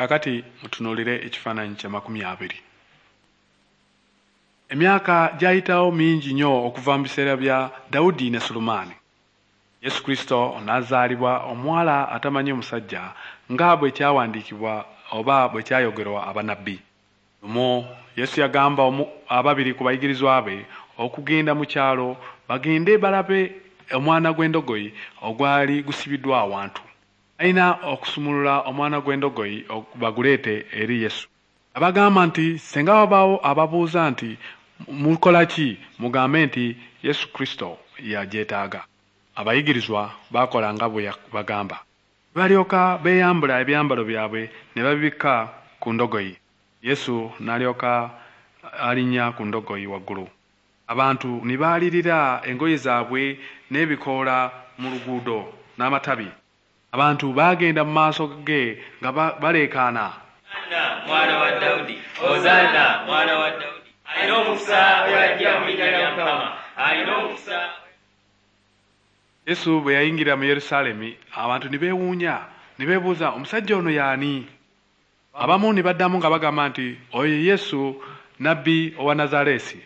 Kaakati mutunuulire ekifaananyi kya 20. Emyaka gyayitawo mingi nnyo okuva mu biseera bya Dawudi ne Sulemaani. Yesu Kristo n'azaalibwa omuwala atamanyi omusajja nga bwe kyawandiikibwa oba bwe kyayogerwa abanabbi. Lumu Yesu yagamba ababiri ku bayigirizwa be okugenda mu kyalo bagende balabe omwana gw'endogoyi ogwali gusibiddwa awantu. Balina okusumulula omwana gw'endogoyi baguleete eri Yesu. Abagamba nti senga wabaawo ababuuza nti mukola ki, mugambe nti Yesu Kristo yagyetaaga. Abayigirizwa baakola nga bwe bagamba. Balyoka beeyambula ebyambalo byabwe ne babibikka ku ndogoyi. Yesu n'alyoka alinnya ku ndogoyi waggulu. Abantu ne baalirira engoye zaabwe n'ebikoola mu luguudo n'amatabi. Abantu baagenda mu maaso ge nga baleekaana. Hosanna mwana wa Dawudi, Hosanna mwana wa Dawudi. Alina omukisa oyo ajja mu linnya lya Mukama, alina omukisa. Yesu bwe yayingira mu Yerusaalemi abantu ne beewuunya ne beebuuza omusajja ono y'ani? Abamu ne baddamu nga bagamba nti oyo Yesu nabbi owa Nazaaleesi.